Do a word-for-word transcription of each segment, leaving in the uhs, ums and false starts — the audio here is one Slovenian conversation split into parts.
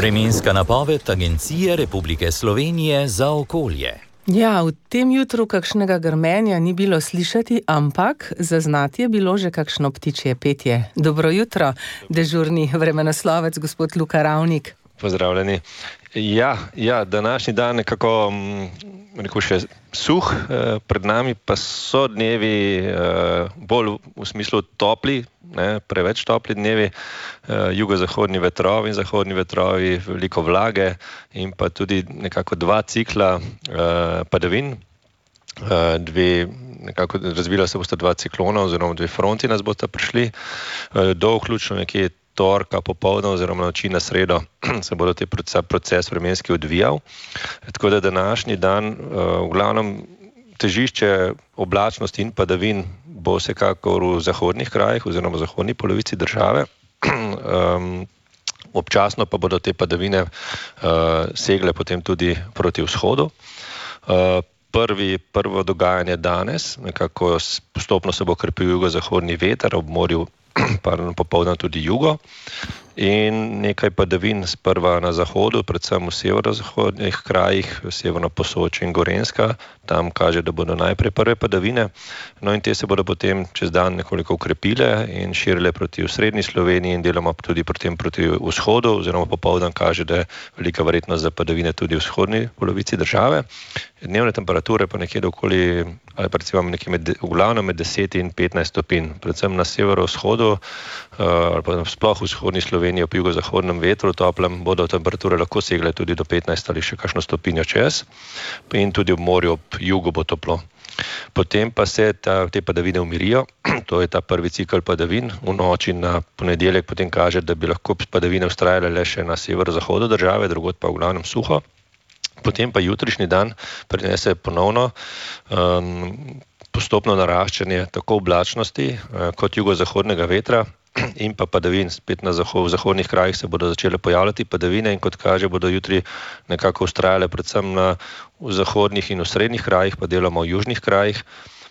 Vremenska napoved Agencije Republike Slovenije za okolje. Ja, v tem jutru kakšnega grmenja ni bilo slišati, ampak zaznati je bilo že kakšno ptičje petje. Dobro jutro, dežurni vremenoslovec gospod Luka Ravnik. Pozdravljeni. Ja, ja, današnji dan nekako rekel še suh, pred nami pa so dnevi bolj v smislu topli, ne, preveč topli dnevi, jugozahodni vetrovi in zahodni vetrovi, veliko vlage in pa tudi nekako dva cikla padavin. Dve, nekako razvila se bosta dva ciklona oziroma dve fronti nas bosta prišli, do vključno nekje torka popoldne oziroma noči na sredo se bodo te proces vremenski odvijal. Tako da današnji dan v glavnem težišče oblačnosti in padavin bo vsekakor v zahodnih krajih oziroma v zahodni polovici države. Občasno pa bodo te padavine segle potem tudi proti vzhodu. Prvi, prvo dogajanje danes, nekako postopno se bo krepil jugozahodni veter, ob morju popoldne tudi jugo in nekaj padavin sprva na zahodu, predvsem v severozahodnih krajih, severno Posočje in Gorenjska, tam kaže, da bodo najprej prve padavine, no in te se bodo potem čez dan nekoliko ukrepile in širile proti osrednji Sloveniji in deloma tudi potem proti vzhodu, oziroma popoldan kaže, da je velika verjetnost za padavine tudi v vzhodni polovici države. Dnevne temperature pa nekje okoli, ali pa recimo nekje med, v glavnem med deset in petnajst stopinj, predvsem na severovzhodu ali pa sploh v vzhodni Sloveniji ob jugozahodnem vetru toplem bodo temperature lahko segle tudi do petnajst ali še kakšno stopinjo čez in tudi ob morju ob jugu bo toplo. Potem pa se ta, te padavine umirijo, to je ta prvi cikel padavin, v noči na ponedeljek potem kaže, da bi lahko padavine vztrajale le še na severozahodu države, drugod pa v glavnem suho. Potem pa jutrišnji dan prinese ponovno um, postopno naraščanje tako oblačnosti uh, kot jugozahodnega vetra in pa padavin. Spet na zahod, v zahodnih krajih se bodo začele pojavljati padavine in kot kaže bodo jutri nekako vztrajale predvsem na v zahodnih in v srednjih krajih, pa deloma v južnih krajih.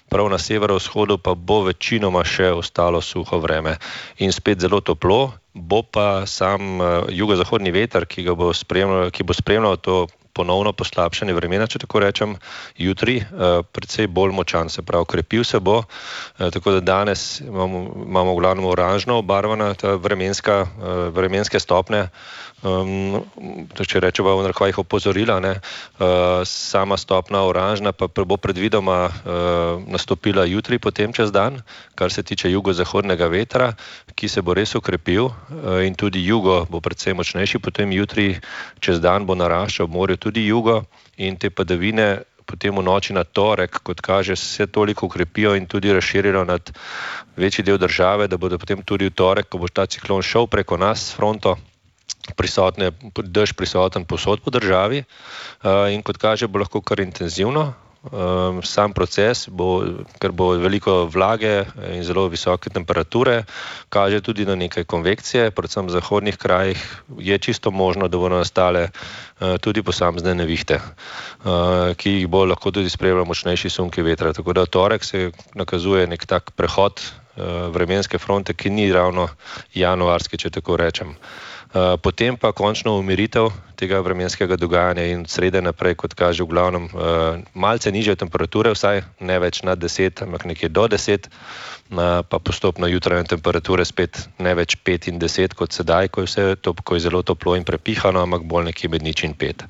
Prav na severovzhodu pa bo večinoma še ostalo suho vreme in spet zelo toplo, bo pa sam uh, jugozahodni veter, ki ga bo spremljal, ki bo spremljal to ponovno poslabšanje vremena, če tako rečem, jutri, uh, precej bolj močan, se pravi, krepil se bo, uh, tako da danes imamo, imamo v glavnem oranžno obarvana ta vremenska, uh, vremenske stopne, um, če rečemo v narekovajih opozorila, ne, uh, sama stopna oranžna pa bo predvidoma uh, nastopila jutri potem čez dan, kar se tiče jugozahodnega vetra, ki se bo res ukrepil uh, in tudi jugo bo precej močnejši, potem jutri čez dan bo naraščal v morju tudi jugo in te padavine potem v noči na torek, kot kaže, se toliko ukrepijo in tudi razširijo nad večji del države, da bodo potem tudi v torek, ko bo ta ciklon šel preko nas s fronto, prisotne, dež prisoten povsod po državi in kot kaže, bo lahko kar intenzivno. Sam proces, bo, ker bo veliko vlage in zelo visoke temperature, kaže tudi na nekaj konvekcije, predvsem v zahodnih krajih je čisto možno, da bodo nastale tudi posamezne nevihte, ki jih bo lahko tudi spremljal močnejši sunki vetra. Tako da v torek se nakazuje nek tak prehod vremenske fronte, ki ni ravno januarski, če tako rečem. Potem pa končno umiritev tega vremenskega dogajanja in od srede naprej, kot kaže v glavnem, malce nižje temperature, vsaj ne več nad deset, ampak nekje do deset, pa postopno jutranje temperature spet ne več pet in deset kot sedaj, ko je vse to, ko je zelo toplo in prepihano, ampak bolj nekje med nič in pet.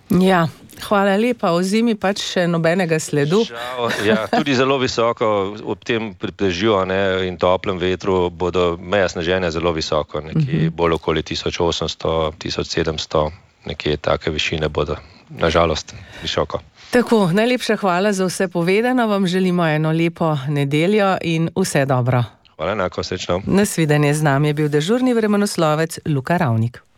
Ja, hvala lepa, o zimi pač še nobenega sledu. Žal, ja, tudi zelo visoko, ob tem dežju in toplem vetru bodo meja sneženja zelo visoko, nekje bolj okoli tisoč osemsto, tisoč sedemsto, nekje take višine bodo, nažalost, visoko. Tako, najlepša hvala za vse povedano, vam želimo eno lepo nedeljo in vse dobro. Hvala, enako, srečno. Nasvidenje, z nami je bil dežurni vremenoslovec Luka Ravnik.